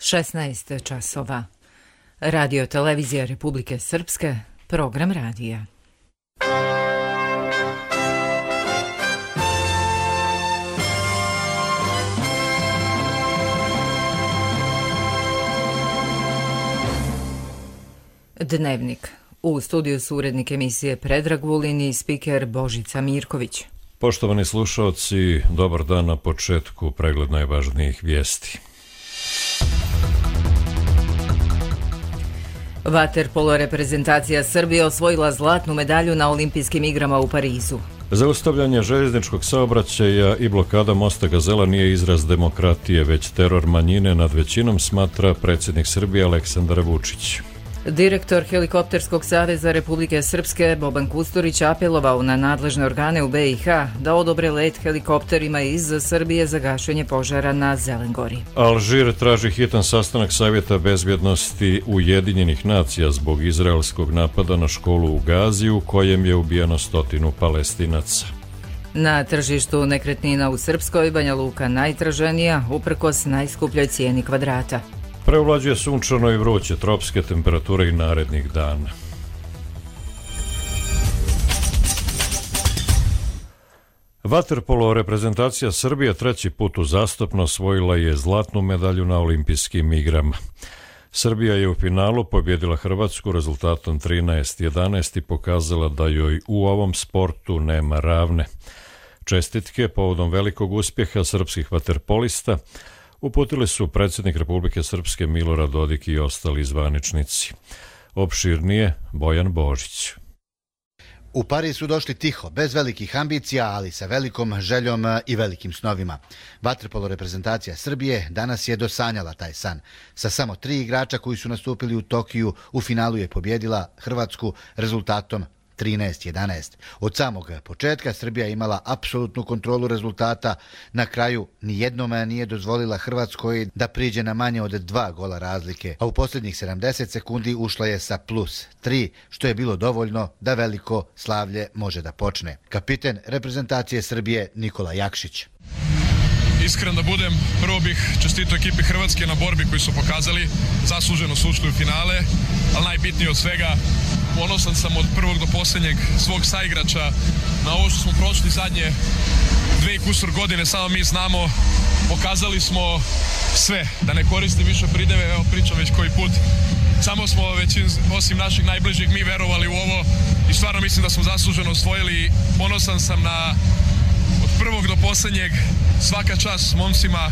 16 časova. Radio televizija Republike Srpske, program radija. Dnevnik. U studiju su urednik emisije Predrag Vulin i spiker Božica Mirković. Poštovani slušaoci, dobar dan na početku, pregled najvažnijih vijesti. Vaterpolo reprezentacija Srbije osvojila zlatnu medalju na Olimpijskim igrama u Parizu. Zaustavljanje željezničkog saobraćaja i blokada mosta Gazela nije izraz demokratije, već teror manjine nad većinom, smatra predsjednik Srbije Aleksandar Vučić. Direktor Helikopterskog saveza Republike Srpske Boban Kusturić apelovao na nadležne organe u BiH da odobre let helikopterima iz Srbije za gašenje požara na Zelengori. Alžir traži hitan sastanak Savjeta bezbjednosti Ujedinjenih nacija zbog izraelskog napada na školu u Gazi u kojem je ubijeno 100 Palestinaca. Na tržištu nekretnina u Srpskoj Banja Luka najtraženija uprkos najskupljoj cijeni kvadrata. Preovlađuje sunčano i vruće, tropske temperature i narednih dana. Vaterpolo reprezentacija Srbije treći put uzastopno osvojila je zlatnu medalju na Olimpijskim igrama. Srbija je u finalu pobjedila Hrvatsku rezultatom 13:11 i pokazala da joj u ovom sportu nema ravne. Čestitke povodom velikog uspjeha srpskih vaterpolista uputili su predsjednik Republike Srpske Milorad Dodik i ostali zvaničnici. Opširnije Bojan Božić. U Pariz su došli tiho, bez velikih ambicija, ali sa velikom željom i velikim snovima. Vaterpolo reprezentacija Srbije danas je dosanjala taj san. Sa samo 3 igrača koji su nastupili u Tokiju, u finalu je pobjedila Hrvatsku rezultatom 13:11. Od samog početka Srbija je imala apsolutnu kontrolu rezultata. Na kraju nijednom nije dozvolila Hrvatskoj da priđe na manje od 2 gola razlike, a u posljednjih 70 sekundi ušla je sa +3, što je bilo dovoljno da veliko slavlje može da počne. Kapiten reprezentacije Srbije Nikola Jakšić. Iskren da budem, prvo bih čestitao ekipi Hrvatske na borbi koju su pokazali, zasluženo su ušli u finale, ali najbitnije od svega, ponosan sam od prvog do posljednjeg svog saigrača na ovo što smo prošli zadnje 2 i kusur godine, samo mi znamo, pokazali smo sve, da ne koristim više prideve, evo pričam već koji put, samo smo osim naših najbližih mi verovali u ovo i stvarno mislim da smo zasluženo osvojili. Ponosan sam na od prvog do posljednjeg, svaka čast momcima,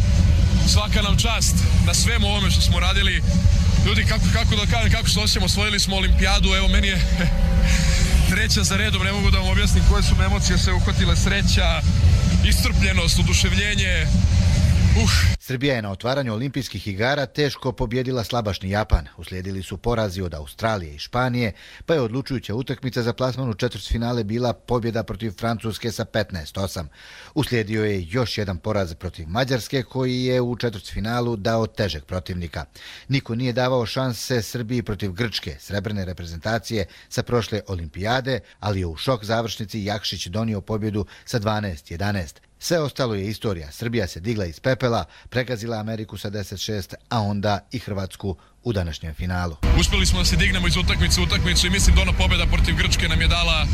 svaka nam čast na svemu ovome što smo radili. Ljudi, kako da kažem, kako se osjećamo, osvojili smo olimpijadu, evo meni je treća za redom, ne mogu da vam objasnim koje su me emocije sve uhvatile, sreća, iscrpljenost, oduševljenje. Srbija je na otvaranju olimpijskih igara teško pobjedila slabašni Japan. Uslijedili su porazi od Australije i Španije, pa je odlučujuća utakmica za plasman u četvrtfinale bila pobjeda protiv Francuske sa 15:8. Uslijedio je još jedan poraz protiv Mađarske, koji je u četvrtfinalu dao težeg protivnika. Niko nije davao šanse Srbiji protiv Grčke, srebrne reprezentacije sa prošle olimpijade, ali je u šok završnici Jakšić donio pobjedu sa 12:11. Sve ostalo je istorija. Srbija se digla iz pepela, pregazila Ameriku sa 10:6, a onda i Hrvatsku u današnjem finalu. Uspjeli smo da se dignemo iz utakmice u utakmicu i mislim da ona pobjeda protiv Grčke nam je dala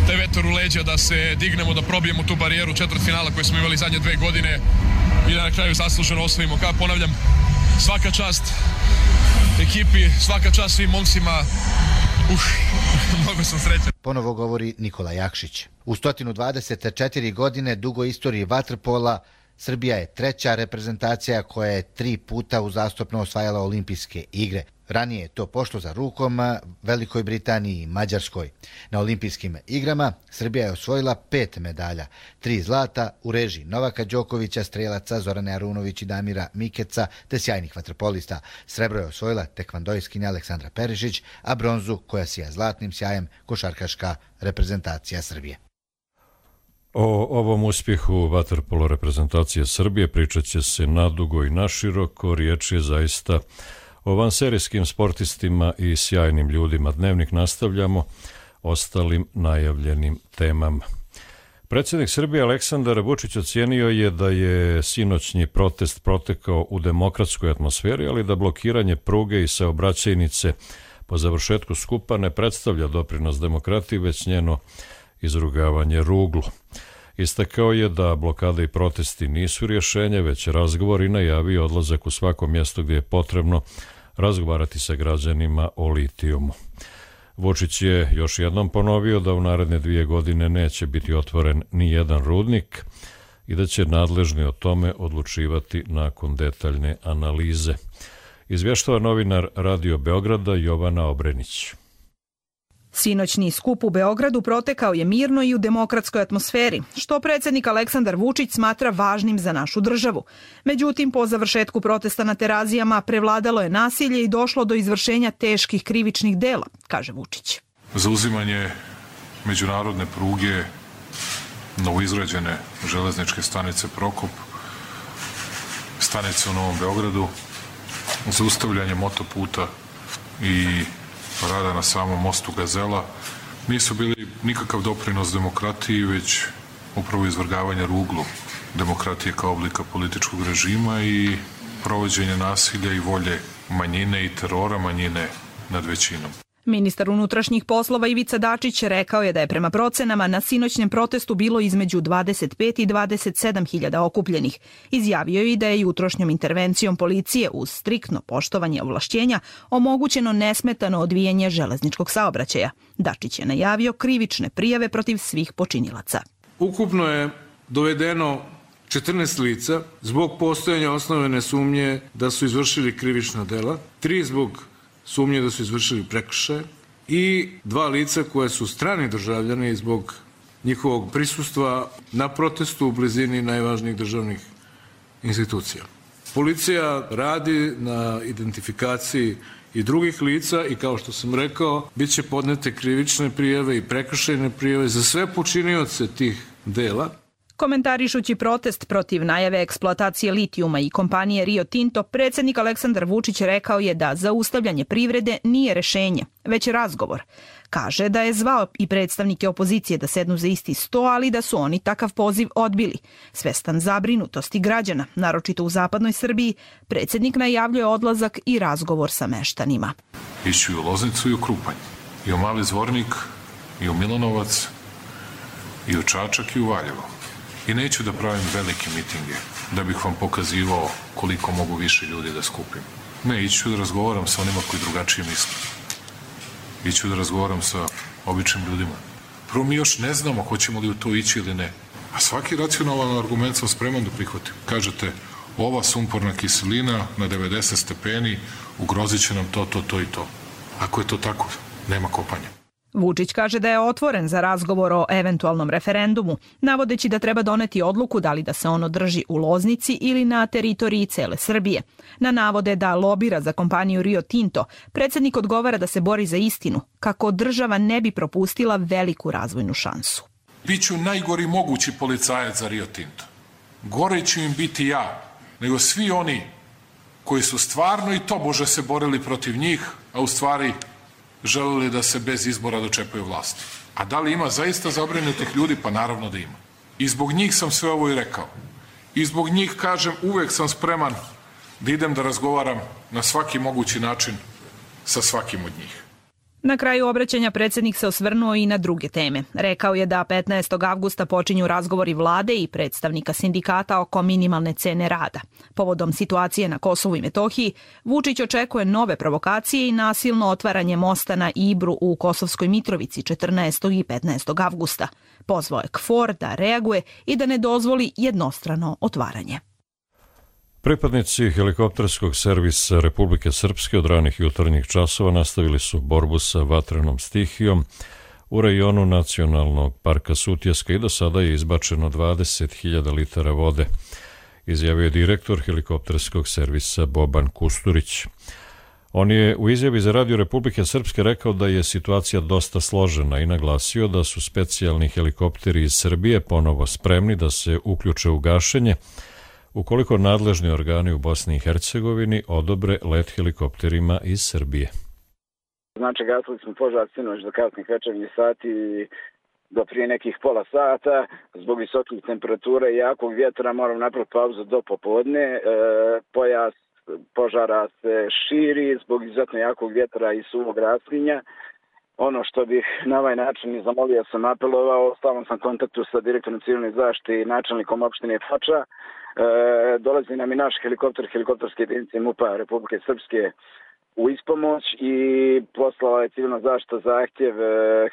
taj vetar u leđa da se dignemo, da probijemo tu barijeru četvrtfinala koju smo imali zadnje 2 godine i da na kraju zasluženo osvojimo. Kao ponavljam, svaka čast ekipi, svaka čast svim momcima. Mnogo sam srećan. Ponovo govori Nikola Jakšić. U 124 godine dugoj istoriji vaterpola Srbija je treća reprezentacija koja je 3 puta uzastopno osvajala olimpijske igre. Ranije je to pošlo za rukom Velikoj Britaniji i Mađarskoj. Na olimpijskim igrama Srbija je osvojila 5 medalja, 3 zlata u režiji Novaka Đokovića, strelaca Zorane Arunović i Damira Mikeca, te sjajnih vaterpolista. Srebro je osvojila tekvandojskinja Aleksandra Perišić, a bronzu, koja sija zlatnim sjajem, košarkaška reprezentacija Srbije. O ovom uspjehu vaterpolo reprezentacije Srbije pričat će se nadugo i naširoko. Riječ je zaista o vanserijskim sportistima i sjajnim ljudima. Dnevnik nastavljamo ostalim najavljenim temama. Predsjednik Srbije Aleksandar Vučić ocijenio je da je sinoćnji protest protekao u demokratskoj atmosferi, ali da blokiranje pruge i saobraćajnice po završetku skupa ne predstavlja doprinos demokratiji, već njeno izrugavanje ruglu. Istakao je da blokada i protesti nisu rješenje, već razgovor i najavio odlazak u svako mjesto gdje je potrebno razgovarati sa građanima o litijumu. Vučić je još jednom ponovio da u naredne 2 godine neće biti otvoren ni jedan rudnik i da će nadležni o tome odlučivati nakon detaljne analize. Izvještava novinar Radio Beograda Jovana Obrenić. Sinoćni skup u Beogradu protekao je mirno i u demokratskoj atmosferi, što predsjednik Aleksandar Vučić smatra važnim za našu državu. Međutim, po završetku protesta na Terazijama prevladalo je nasilje i došlo do izvršenja teških krivičnih dela, kaže Vučić. Zauzimanje međunarodne pruge, novoizgrađene železničke stanice Prokop, stanice u Novom Beogradu, zaustavljanje motoputa i rada na samom mostu Gazela nisu bili nikakav doprinos demokratiji, već upravo izvrgavanje ruglu demokratije kao oblika političkog režima i provođenje nasilja i volje manjine i terora manjine nad većinom. Ministar unutrašnjih poslova Ivica Dačić rekao je da je prema procenama na sinoćnjem protestu bilo između 25 i 27 hiljada okupljenih. Izjavio je i da je jutrošnjom intervencijom policije uz striktno poštovanje ovlašćenja omogućeno nesmetano odvijanje železničkog saobraćaja. Dačić je najavio krivične prijave protiv svih počinilaca. Ukupno je dovedeno 14 lica zbog postojanja osnovane sumnje da su izvršili krivična dela, 3 zbog sumnje da su izvršili prekršaje i 2 lica koje su strani državljani zbog njihovog prisustva na protestu u blizini najvažnijih državnih institucija. Policija radi na identifikaciji i drugih lica i kao što sam rekao, bit će podnete krivične prijave i prekršajne prijave za sve počinioce tih dela. Komentarišući protest protiv najave eksploatacije litijuma i kompanije Rio Tinto, predsjednik Aleksandar Vučić rekao je da zaustavljanje privrede nije rješenje, već razgovor. Kaže da je zvao i predstavnike opozicije da sednu za isti sto, ali da su oni takav poziv odbili. Svestan zabrinutosti građana, naročito u zapadnoj Srbiji, predsjednik najavljuje odlazak i razgovor sa meštanima. Ići u Loznicu i u Krupanj, i u Mali Zvornik, i u Milanovac, i u Čačak i u Valjevo. I neću da pravim velike mitinge, da bih vam pokazivao koliko mogu više ljudi da skupim. Ne, iću da razgovaram sa onima koji drugačije misle. Iću da razgovaram sa običnim ljudima. Prvo, mi još ne znamo hoćemo li u to ići ili ne. A svaki racionalan argument sam spreman da prihvatim. Kažete, ova sumporna kiselina na 90 stepeni ugrozit će nam to i to. Ako je to tako, nema kopanja. Vučić kaže da je otvoren za razgovor o eventualnom referendumu, navodeći da treba doneti odluku da li da se on održi u Loznici ili na teritoriji cele Srbije. Na navode da lobira za kompaniju Rio Tinto, predsjednik odgovara da se bori za istinu, kako država ne bi propustila veliku razvojnu šansu. Biću najgori mogući policajac za Rio Tinto. Gore ću im biti ja, nego svi oni koji su stvarno i tobože se borili protiv njih, a u stvari želeli da se bez izbora dočepaju vlasti. A da li ima zaista zabrinutih ljudi? Pa naravno da ima. I zbog njih sam sve ovo i rekao. I zbog njih, kažem, uvek sam spreman da idem da razgovaram na svaki mogući način sa svakim od njih. Na kraju obraćanja predsjednik se osvrnuo i na druge teme. Rekao je da 15. avgusta počinju razgovori vlade i predstavnika sindikata oko minimalne cene rada. Povodom situacije na Kosovu i Metohiji, Vučić očekuje nove provokacije i nasilno otvaranje mosta na Ibru u Kosovskoj Mitrovici 14. i 15. avgusta. Pozvao je KFOR da reaguje i da ne dozvoli jednostrano otvaranje. Pripadnici helikopterskog servisa Republike Srpske od ranih jutarnjih časova nastavili su borbu sa vatrenom stihijom u rajonu Nacionalnog parka Sutjeska i do sada je izbačeno 20.000 litara vode, izjavio je direktor helikopterskog servisa Boban Kusturić. On je u izjavi za Radio Republike Srpske rekao da je situacija dosta složena i naglasio da su specijalni helikopteri iz Srbije ponovo spremni da se uključe u gašenje ukoliko nadležni organi u Bosni i Hercegovini odobre let helikopterima iz Srbije. Znači, gasili smo požar sinoć do kasnih večernjih sati do prije nekih pola sata. Zbog visokih temperatura i jakog vjetra moram napraviti pauzu do popodne. Pojas požara se širi zbog izuzetno jakog vjetra i suvog raslinja. Ono što bih na ovaj način zamolio sam apelovao, stalno sam kontaktu sa direktorom civilne zaštite i načelnikom opštine Foča. Dolazi nam i naš helikopterske jedinice MUP-a Republike Srpske u ispomoć i poslala je civilna zaštita zahtjev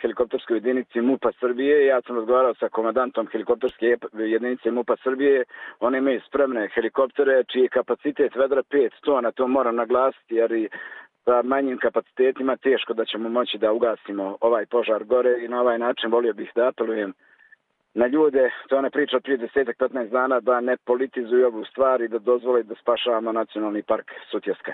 helikopterskoj jedinici MUP-a Srbije. Ja sam razgovarao sa komandantom helikopterske jedinice MUP-a Srbije. One imaju spremne helikoptere čiji je kapacitet vedra 5 tona, to moram naglasiti jer i sa manjim kapacitetima teško da ćemo moći da ugasimo ovaj požar gore i na ovaj način volio bih da apelujem na ljude, to je ona priča od prije 10-15 dana, da ne politizuju ovu stvar i da dozvole da spašavamo nacionalni park Sutjeska.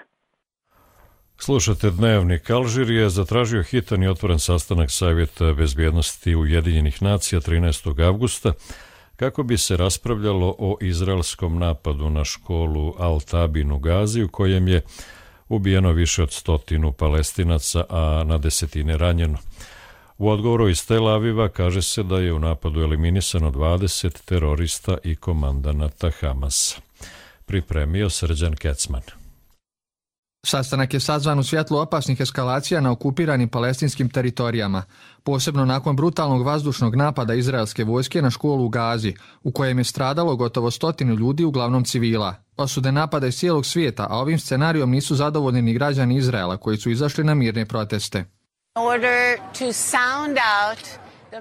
Slušate Dnevnik. Alžir je zatražio hitan i otvoren sastanak Savjeta bezbjednosti Ujedinjenih nacija 13. avgusta kako bi se raspravljalo o izraelskom napadu na školu Al-Tabin u Gazi u kojem je ubijeno više od 100 Palestinaca, a na desetine ranjeno. U odgovoru iz Tel Aviva kaže se da je u napadu eliminisano 20 terorista i komandanata Hamasa. Pripremio Srđan Kecman. Sastanak je sazvan u svjetlu opasnih eskalacija na okupiranim palestinskim teritorijama, posebno nakon brutalnog vazdušnog napada izraelske vojske na školu u Gazi, u kojem je stradalo gotovo 100 ljudi, uglavnom civila. Osude napada iz cijelog svijeta, a ovim scenarijom nisu zadovoljni ni građani Izraela koji su izašli na mirne proteste.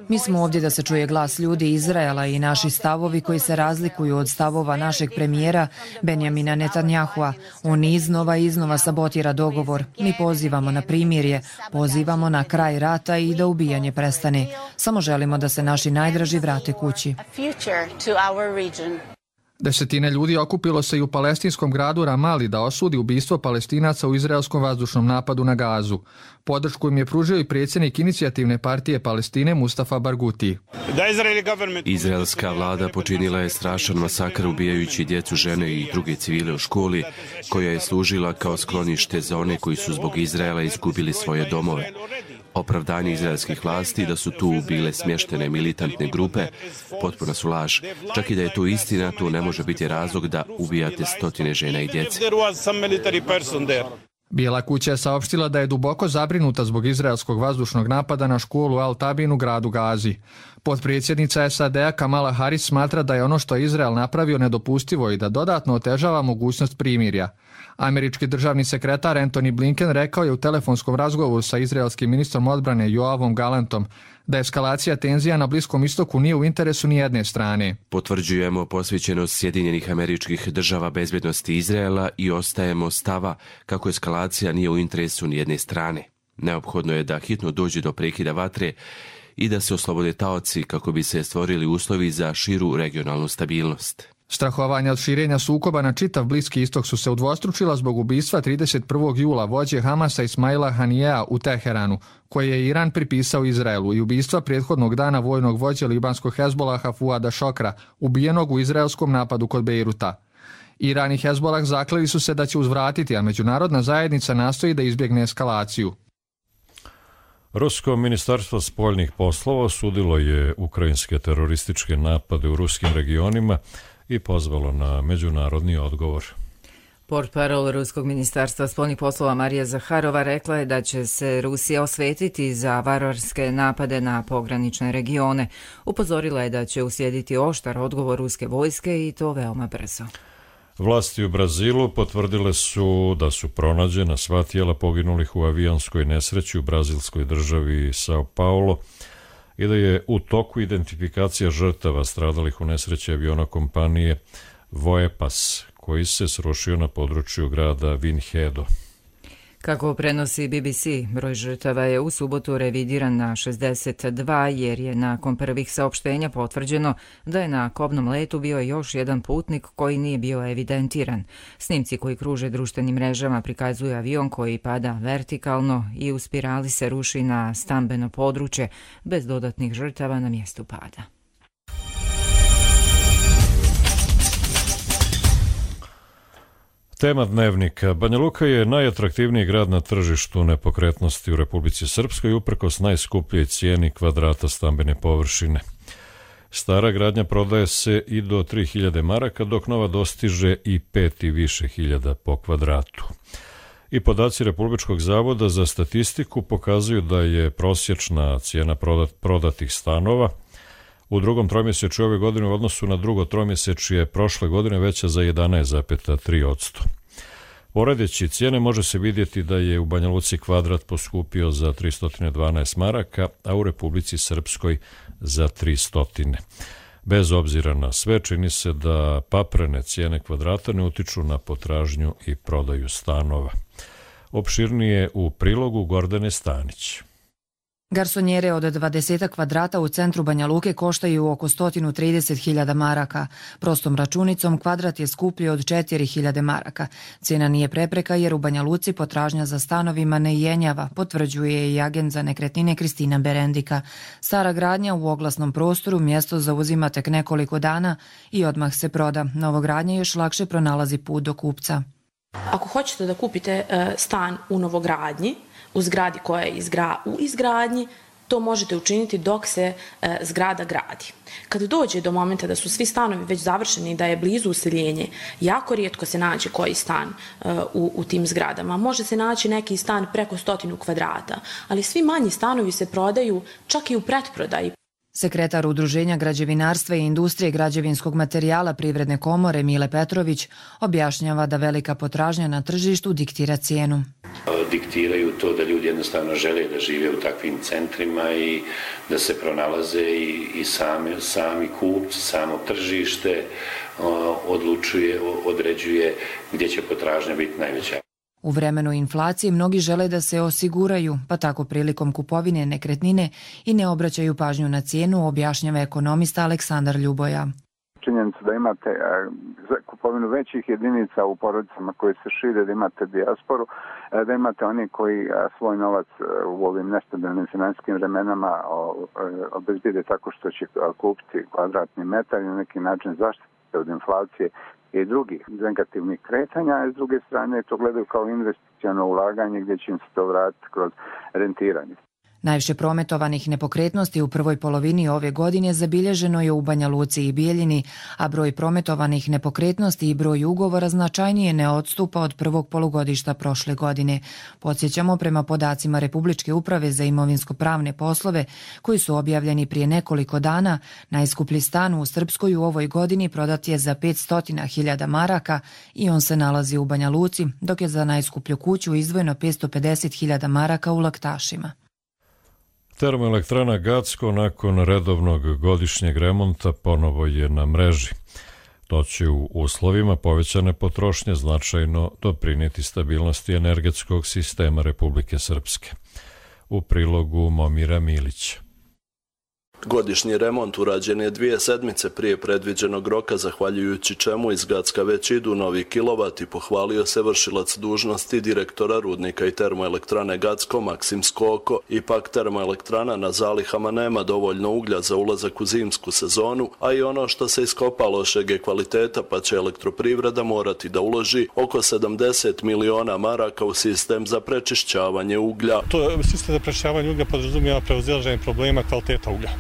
Mi smo ovdje da se čuje glas ljudi Izraela i naši stavovi koji se razlikuju od stavova našeg premijera Benjamina Netanyahua. On iznova sabotira dogovor. Mi pozivamo na primirje, pozivamo na kraj rata i da ubijanje prestane. Samo želimo da se naši najdraži vrate kući. Desetine ljudi okupilo se i u palestinskom gradu Ramali da osudi ubistvo Palestinaca u izraelskom vazdušnom napadu na Gazu. Podršku im je pružio i predsjednik Inicijativne partije Palestine Mustafa Barguti. Izraelska vlada počinila je strašan masakr ubijajući djecu, žene i druge civile u školi, koja je služila kao sklonište za one koji su zbog Izraela izgubili svoje domove. Opravdanje izraelskih vlasti da su tu bile smještene militantne grupe potpuno su laž. Čak i da je to istina, to ne može biti razlog da ubijate 100 žena i djece. Bijela kuća je saopštila da je duboko zabrinuta zbog izraelskog vazdušnog napada na školu Al-Tabin u gradu Gazi. Potpredsjednica SAD-a Kamala Harris smatra da je ono što je Izrael napravio nedopustivo i da dodatno otežava mogućnost primirja. Američki državni sekretar Antony Blinken rekao je u telefonskom razgovoru sa izraelskim ministrom odbrane Joavom Galantom da eskalacija tenzija na Bliskom istoku nije u interesu ni jedne strane. Potvrđujemo posvećenost Sjedinjenih Američkih Država bezbjednosti Izraela i ostajemo stava kako eskalacija nije u interesu ni jedne strane. Neophodno je da hitno dođe do prekida vatre i da se oslobode taoci kako bi se stvorili uslovi za širu regionalnu stabilnost. Strahovanja od širenja sukoba na čitav Bliski istok su se udvostručila zbog ubistva 31. jula vođe Hamasa Ismaila Hanijea u Teheranu, koje je Iran pripisao Izraelu, i ubistva prethodnog dana vojnog vođe libanskog Hezbolaha Fuada Šokra, ubijenog u izraelskom napadu kod Bejruta. Iran i Hezbolah zakleli su se da će uzvratiti, a međunarodna zajednica nastoji da izbjegne eskalaciju. Rusko ministarstvo spoljnih poslova osudilo je ukrajinske terorističke napade u ruskim regionima i pozvalo na međunarodni odgovor. Portparol Ruskog ministarstva spoljnih poslova Marija Zaharova rekla je da će se Rusija osvetiti za varvarske napade na pogranične regione. Upozorila je da će uslijediti oštar odgovor ruske vojske i to veoma brzo. Vlasti u Brazilu potvrdile su da su pronađena sva tijela poginulih u avionskoj nesreći u brazilskoj državi São Paulo i da je u toku identifikacija žrtava stradalih u nesreći aviona kompanije Voepas, koji se srušio na području grada Vinhedo. Kako prenosi BBC, broj žrtava je u subotu revidiran na 62 jer je nakon prvih saopštenja potvrđeno da je na kobnom letu bio još jedan putnik koji nije bio evidentiran. Snimci koji kruže društvenim mrežama prikazuju avion koji pada vertikalno i u spirali se ruši na stambeno područje bez dodatnih žrtava na mjestu pada. Tema dnevnika. Banja Luka je najatraktivniji grad na tržištu nepokretnosti u Republici Srpskoj uprkos najskupljoj cijeni kvadrata stambene površine. Stara gradnja prodaje se i do 3000 maraka, dok nova dostiže i 5 i više hiljada po kvadratu. I podaci Republičkog zavoda za statistiku pokazuju da je prosječna cijena prodatih stanova u drugom tromjesečju ove godine u odnosu na drugo tromjesečje prošle godine veća za 11,3%. Poredeći cijene može se vidjeti da je u Banja Luci kvadrat poskupio za 312 maraka, a u Republici Srpskoj za 300. Bez obzira na sve, čini se da paprene cijene kvadrata ne utiču na potražnju i prodaju stanova. Opširnije u prilogu Gordane Stanić. Garsonjere od 20 kvadrata u centru Banja Luke koštaju oko 130.000 maraka. Prostom računicom kvadrat je skuplji od 4.000 maraka. Cijena nije prepreka jer u Banja Luci potražnja za stanovima ne jenjava, potvrđuje i agent za nekretnine Kristina Berendika. Stara gradnja u oglasnom prostoru mjesto zauzima tek nekoliko dana i odmah se proda. Novogradnja još lakše pronalazi put do kupca. Ako hoćete da kupite stan u novogradnji, u zgradi koja je u izgradnji, to možete učiniti dok se zgrada gradi. Kad dođe do momenta da su svi stanovi već završeni i da je blizu useljenje, jako rijetko se nađe koji stan u tim zgradama. Može se naći neki stan preko 100 kvadrata, ali svi manji stanovi se prodaju čak i u pretprodaji. Sekretar Udruženja građevinarstva i industrije građevinskog materijala Privredne komore Mile Petrović objašnjava da velika potražnja na tržištu diktira cijenu. Diktiraju to da ljudi jednostavno žele da žive u takvim centrima i da se pronalaze i sami kupci, samo tržište određuje gdje će potražnja biti najveća. U vremenu inflacije mnogi žele da se osiguraju, pa tako prilikom kupovine nekretnine i ne obraćaju pažnju na cijenu, objašnjava ekonomista Aleksandar Ljuboja. Činjenica da imate kupovinu većih jedinica u porodicama koji se šire, da imate dijasporu, da imate oni koji svoj novac u ovim nestabilnim financijskim vremenama obezbijede tako što će kupiti kvadratni metar i na neki način zaštiti od inflacije i drugih negativnih kretanja, a s druge strane to gledaju kao investiciono ulaganje gdje će im se to vratiti kroz rentiranje. Najviše prometovanih nepokretnosti u prvoj polovini ove godine zabilježeno je u Banja Luci i Bijeljini, a broj prometovanih nepokretnosti i broj ugovora značajnije ne odstupa od prvog polugodišta prošle godine. Podsjećamo, prema podacima Republičke uprave za imovinsko-pravne poslove, koji su objavljeni prije nekoliko dana, najskuplji stan u Srpskoj u ovoj godini prodat je za 500.000 maraka i on se nalazi u Banja Luci, dok je za najskuplju kuću izdvojeno 550.000 maraka u Laktašima. Termoelektrana Gacko nakon redovnog godišnjeg remonta ponovo je na mreži. To će u uslovima povećane potrošnje značajno doprinijeti stabilnosti energetskog sistema Republike Srpske. U prilogu Momira Milića. Godišnji remont urađen je 2 sedmice prije predviđenog roka, zahvaljujući čemu iz Gacka već idu novi kilovati, pohvalio se vršilac dužnosti direktora rudnika i termoelektrane Gacko Maksim Skoko. Ipak termoelektrana na zalihama nema dovoljno uglja za ulazak u zimsku sezonu, a i ono što se iskopa lošeg je kvaliteta, pa će elektroprivreda morati da uloži oko 70 miliona maraka u sistem za prečišćavanje uglja. Sistem za prečišćavanje uglja podrazumijeva prevazilaženje problema kvaliteta uglja.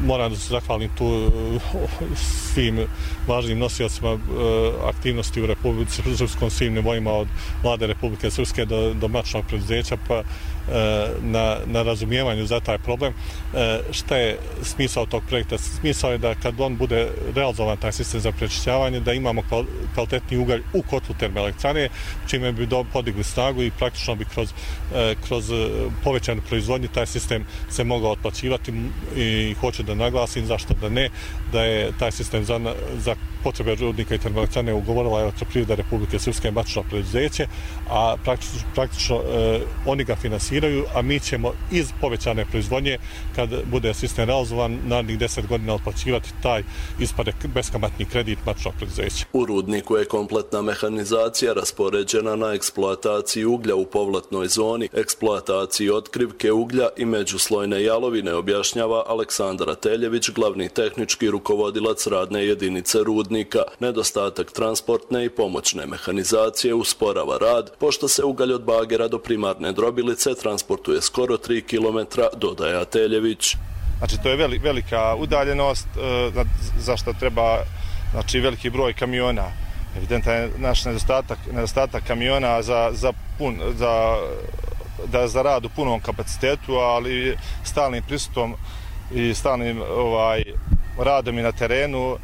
Moram da se zahvalim tu svim važnim nosiocima aktivnosti u Republici Srpskom, svim nivoima od Vlade Republike Srpske do matičnog preduzeća, pa na razumijevanju za taj problem. Šta je smisao tog projekta? Smisao je da kad on bude realizovan taj sistem za prečišćavanje, da imamo kvalitetni ugalj u kotlu termoelektrane, čime bi podigli snagu i praktično bi kroz povećanu proizvodnju taj sistem se mogao otplaćivati i hoću da naglasim, zašto da ne, da je taj sistem za potrebe rudnika i termoelektrane ugovorila Elektroprivreda Republike Srpske matično preduzeće, a praktično oni ga finansiraju, a mi ćemo iz povećane proizvodnje, kad bude sistem realizovan, narednih 10 godina otplaćivati taj ispade beskamatni kredit matičnog preduzeća. U rudniku je kompletna mehanizacija raspoređena na eksploataciji uglja u povlatnoj zoni, eksploataciji otkrivke uglja i međuslojne jalovine, objašnjava Aleksandar Ateljević, glavni tehnički rukovodilac radne jedinice rudnika. rudnika. Nedostatak transportne i pomoćne mehanizacije usporava rad, pošto se ugalj od bagera do primarne drobilice transportuje skoro 3 km, dodaje Ateljević. Znači, to je velika udaljenost, za što treba veliki broj kamiona. Evidentan je naš nedostatak kamiona za rad u punom kapacitetu, ali stalnim pristupom i stalnim radom i na terenu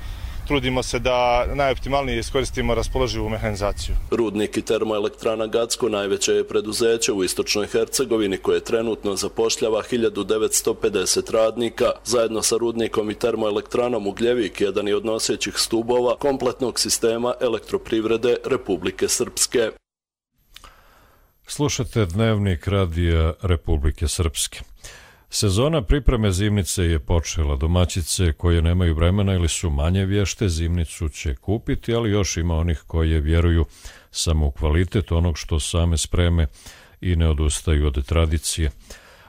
trudimo se da najoptimalnije iskoristimo raspoloživu mehanizaciju. Rudnik i termoelektrana Gacko najveće je preduzeće u istočnoj Hercegovini koje trenutno zapošljava 1950 radnika. Zajedno sa rudnikom i termoelektranom Ugljevik jedan je od nosećih stubova kompletnog sistema elektroprivrede Republike Srpske. Slušate Dnevnik radija Republike Srpske. Sezona pripreme zimnice je počela. Domaćice koje nemaju vremena ili su manje vješte zimnicu će kupiti, ali još ima onih koje vjeruju samo u kvalitet onog što same spreme i ne odustaju od tradicije.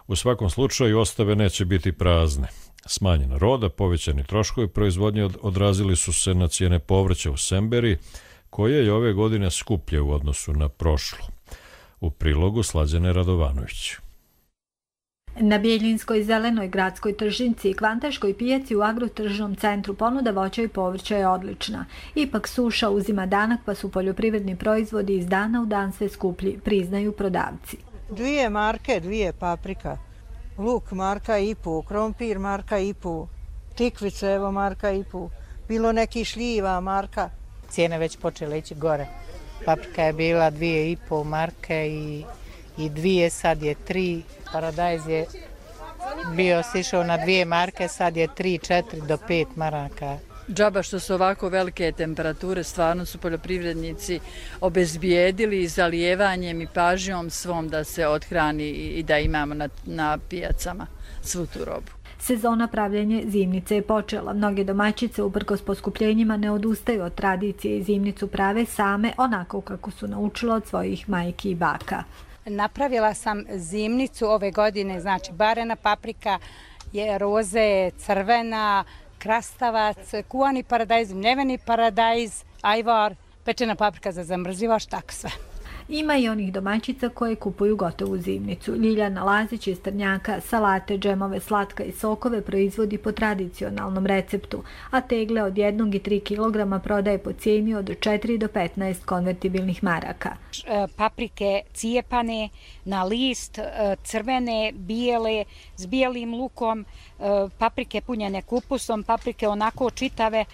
U svakom slučaju ostave neće biti prazne. Smanjena roda, povećani troškovi proizvodnje odrazili su se na cijene povrća u Semberiji, koje je ove godine skuplje u odnosu na prošlu. U prilogu Slađane Radovanović. Na Bijeljinskoj zelenoj gradskoj tržnici i Kvantaškoj pijaci u agrotržnom centru ponuda voća i povrća je odlična. Ipak suša uzima danak, pa su poljoprivredni proizvodi iz dana u dan sve skuplji, priznaju prodavci. 2 marke, 2 paprika, luk marka i pu, krompir marka i pu, tikvice evo marka i pu, bilo neki šljiva marka. Cijene već počele ići gore. Paprika je bila 2,5 marke i 2, sad je 3. Paradajz je bio sišao na 2 marke, sad je 3, 4 do 5 maraka. Džaba što su ovako velike temperature, stvarno su poljoprivrednici obezbijedili zalijevanjem i pažnjom svom da se odhrani i da imamo na pijacama svu tu robu. Sezona pravljenja zimnice je počela. Mnoge domaćice uprkos poskupljenjima ne odustaju od tradicije i zimnicu prave same onako kako su naučile od svojih majki i baka. Napravila sam zimnicu ove godine, znači barena paprika, roze, crvena, krastavac, kuvani paradajz, mljeveni paradajz, ajvar, pečena paprika za zamrzivač, tako sve. Ima i onih domaćica koje kupuju gotovu zimnicu. Ljiljana Lazić iz Trnjaka salate, džemove, slatka i sokove proizvodi po tradicionalnom receptu, a tegle od 1 i 3 kg prodaje po cijeni od 4 do 15 konvertibilnih maraka. Paprike cijepane na list, crvene, bijele, s bijelim lukom, paprike punjene kupusom, paprike onako čitave,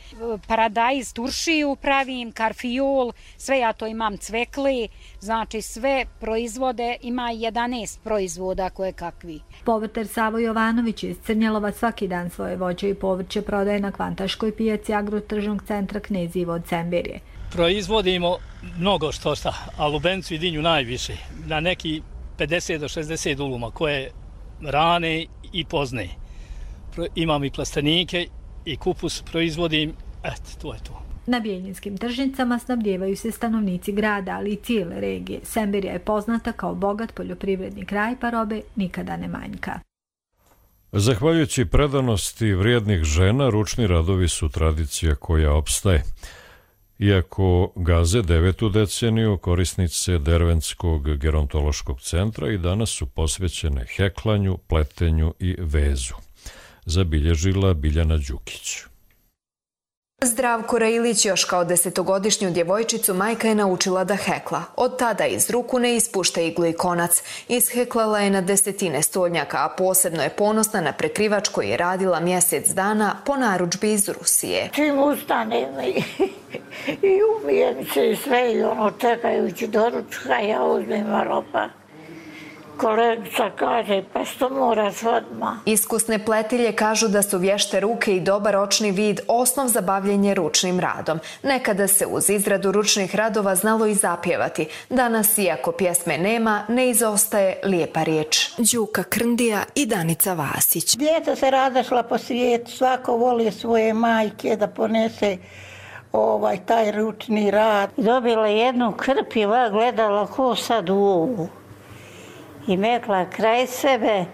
paradajz, turšiju pravim, karfiol, sve ja to imam, cvekli, znači sve proizvode, ima 11 proizvoda koje kakvi. Povrtar Savo Jovanović iz Crnjelova svaki dan svoje voće i povrće prodaje na Kvantaškoj pijaci agrotržnog centra Knez Ivo od Semberije. Proizvodimo mnogo što šta, a lubencu i dinju najviše, na neki 50 do 60 uluma koje rane i pozne. Imam i plastenike i kupus proizvodim, to je to. Na bijeljinskim tržnicama snabdijevaju se stanovnici grada, ali i cijele regije. Semberija je poznata kao bogat poljoprivredni kraj, pa robe nikada ne manjka. Zahvaljujući predanosti vrijednih žena, ručni radovi su tradicija koja opstaje. Iako gaze 9. deceniju, korisnice Derventskog gerontološkog centra i danas su posvećene heklanju, pletenju i vezu. Zabilježila Biljana Đukić. Zdravko Rejlić još kao 10-godišnju djevojčicu majka je naučila da hekla. Od tada iz ruku ne ispušta iglu i konac. Isheklala je na desetine stolnjaka, a posebno je ponosna na prekrivač koji je radila mjesec dana po narudžbi iz Rusije. Čim ustanem i umijem se i sve i čekajući doručka, ja uzmem ropa. Kolegica kaže, pa što moraš odmah? Iskusne pletilje kažu da su vješte ruke i dobar ročni vid osnov za bavljenje ručnim radom. Nekada se uz izradu ručnih radova znalo i zapjevati. Danas, iako pjesme nema, ne izostaje lijepa riječ. Đuka Krndija i Danica Vasić. Djeca se razašla po svijetu, svako voli svoje majke da ponese taj ručni rad. Dobila jednu krpiva, gledala ko sad u ovu. I mekla kraj sebe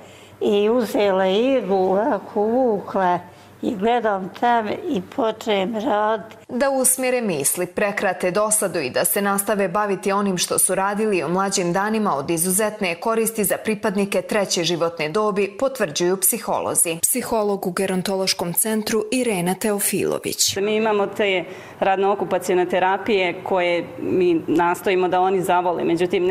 i uzela iglu, ovako vukla i gledam tam i počnem raditi. Da usmjere misli, prekrate dosadu i da se nastave baviti onim što su radili u mlađim danima od izuzetne je koristi za pripadnike treće životne dobi, potvrđuju psiholozi. Psiholog u gerontološkom centru Irena Teofilović. Mi imamo te radno-okupacione terapije koje mi nastojimo da oni zavole, međutim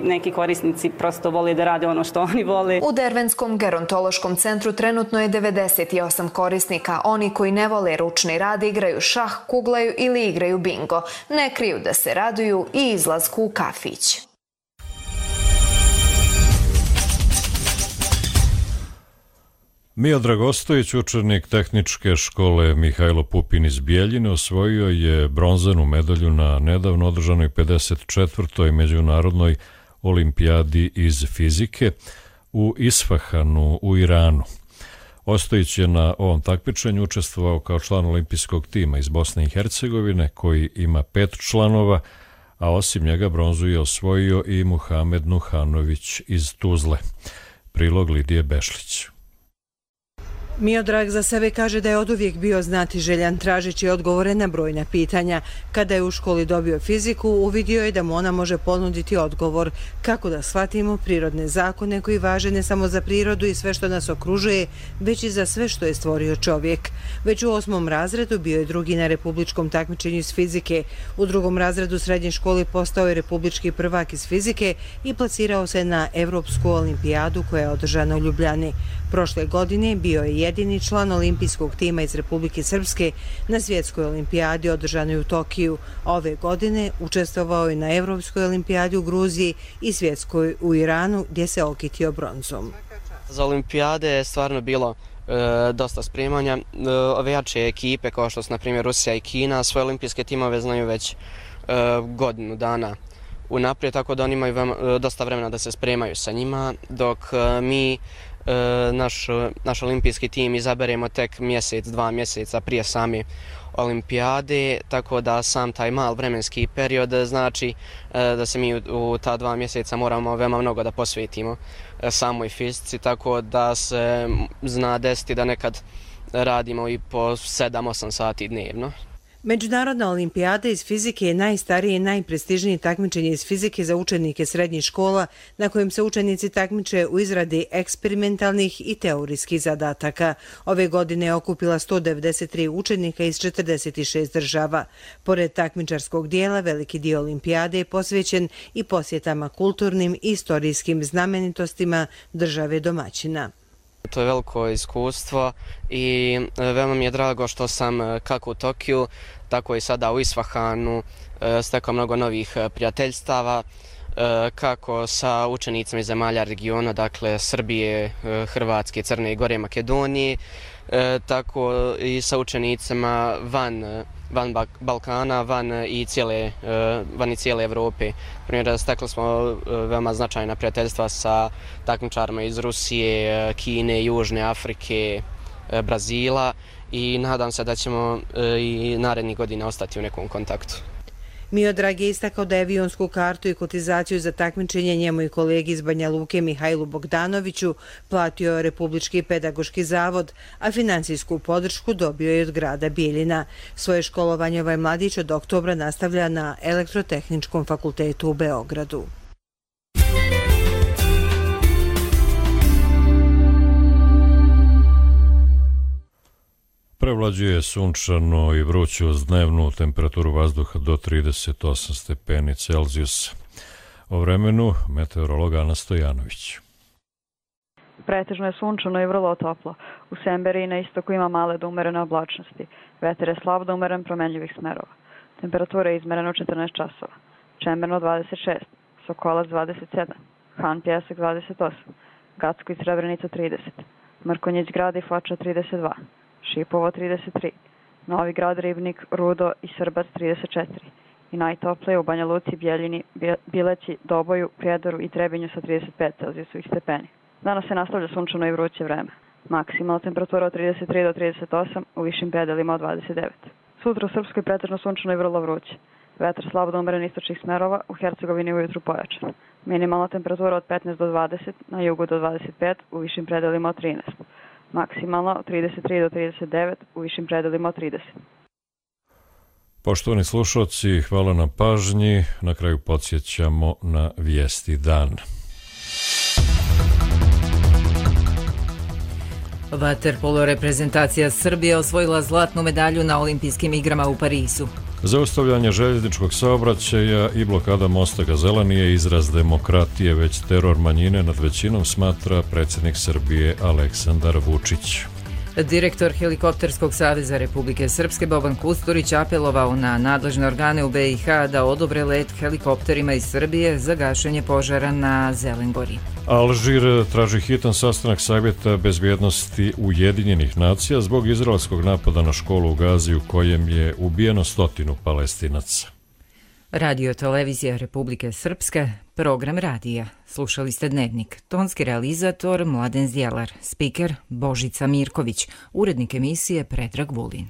neki korisnici prosto vole da rade ono što oni vole. U Dervenskom gerontološkom centru trenutno je 98 korisnika. Oni koji ne vole ručni rad igraju šah, kuglaju ili igraju bingo. Ne kriju da se raduju i izlasku u kafić. Miodrag Ostojić, učenik tehničke škole Mihajlo Pupin iz Bijeljine, osvojio je bronzanu medalju na nedavno održanoj 54. međunarodnoj olimpijadi iz fizike u Isfahanu u Iranu. Ostojić je na ovom takmičenju učestvovao kao član olimpijskog tima iz Bosne i Hercegovine, koji ima 5 članova, a osim njega bronzu je osvojio i Muhamed Nuhanović iz Tuzle. Prilog Lidije Bešlić. Miodrag za sebe kaže da je oduvijek bio znatiželjan, tražeći odgovore na brojna pitanja. Kada je u školi dobio fiziku, uvidio je da mu ona može ponuditi odgovor kako da shvatimo prirodne zakone koji važe ne samo za prirodu i sve što nas okružuje, već i za sve što je stvorio čovjek. Već u 8. razredu bio je drugi na republičkom takmičenju iz fizike. U 2. razredu srednje škole postao je republički prvak iz fizike i plasirao se na Evropsku olimpijadu koja je održana u Ljubljani. Prošle godine bio je jedini član olimpijskog tima iz Republike Srpske na svjetskoj olimpijadi održanoj u Tokiju. Ove godine učestvovao je na Evropskoj olimpijadi u Gruziji i svjetskoj u Iranu, gdje se okitio bronzom. Za olimpijade je stvarno bilo dosta spremanja. Ove jače ekipe, kao što su na primjer Rusija i Kina, svoje olimpijske timove znaju već godinu dana unaprijed, tako da oni imaju dosta vremena da se spremaju sa njima, dok mi naš olimpijski tim izaberemo tek mjesec, 2 mjeseca prije same olimpijade, tako da sam taj mal vremenski period znači da se mi u ta 2 mjeseca moramo veoma mnogo da posvetimo samoj fizici, tako da se zna desiti da nekad radimo i po 7-8 sati dnevno. Međunarodna olimpijada iz fizike je najstarije i najprestižnije takmičenje iz fizike za učenike srednjih škola, na kojem se učenici takmiče u izradi eksperimentalnih i teorijskih zadataka. Ove godine je okupila 193 učenika iz 46 država. Pored takmičarskog dijela, veliki dio olimpijade je posvećen i posjetama kulturnim i istorijskim znamenitostima države domaćina. To je veliko iskustvo i veoma mi je drago što sam kako u Tokiju, tako i sada u Isfahanu stekao mnogo novih prijateljstava, kako sa učenicima iz zemalja regiona, dakle Srbije, Hrvatske, Crne Gore, Makedonije, tako i sa učenicima van Balkana, van i cijele Evrope. Primjer, stekli smo veoma značajna prijateljstva sa takmičarima iz Rusije, Kine, Južne Afrike, Brazila i nadam se da ćemo i narednih godina ostati u nekom kontaktu. Miodrag je istakao da je avionsku kartu i kotizaciju za takmičenje njemu i kolegi iz Banja Luke Mihajlu Bogdanoviću platio Republički pedagoški zavod, a financijsku podršku dobio je od grada Bijeljina. Svoje školovanje ovaj mladić od oktobra nastavlja na Elektrotehničkom fakultetu u Beogradu. Prevlađuje sunčano i vruće uz dnevnu temperaturu vazduha do 38 stepeni Celzijusa. O vremenu meteorolog Ana Stojanović. Pretežno je sunčano i vrlo toplo. U Semberiji i na istoku ima male do umerene oblačnosti. Vetar je slab do umeren promenljivih smerova. Temperatura je izmerena u 14 časova. Čemerno 26, Sokolac 27, Han Pjesak 28, Gacko i Srebrenica 30, Mrkonjić grad i Foča 32, Šipovo 33, Novi grad, Ribnik, Rudo i Srbac 34 i najtoplije u Banja Luci, Bijeljini, Bileći, Doboju, Prijedoru i Trebinju sa 35 Celzijusovih stepeni. Danas se nastavlja sunčano i vruće vreme. Maksimalna temperatura od 33 do 38, u višim predelima od 29. Sutra u Srpskoj pretežno sunčano i vrlo vruće. Vetar slabo do umeren istočnih smerova, u Hercegovini ujutru pojačan. Minimalna temperatura od 15 do 20, na jugu do 25, u višim predelima od 13. maksimalno 33 do 39, u višim predelima od 30. Poštovani slušalci, hvala na pažnji. Na kraju podsjećamo na vijesti dana. Vaterpolo reprezentacija Srbije osvojila zlatnu medalju na olimpijskim igrama u Parizu. Zaustavljanje željezničkog saobraćaja i blokada mosta Gazela nije izraz demokratije, već teror manjine nad većinom, smatra predsjednik Srbije Aleksandar Vučić. Direktor Helikopterskog saveza Republike Srpske Boban Kusturić apelovao na nadležne organe u BiH da odobre let helikopterima iz Srbije za gašenje požara na Zelengori. Alžir traži hitan sastanak Savjeta bezbjednosti Ujedinjenih nacija zbog izraelskog napada na školu u Gazi u kojem je ubijeno 100 Palestinaca. Radio televizija Republike Srpske, program radija. Slušali ste Dnevnik. Tonski realizator Mladen Zjelar, spiker Božica Mirković, urednik emisije Predrag Vulin.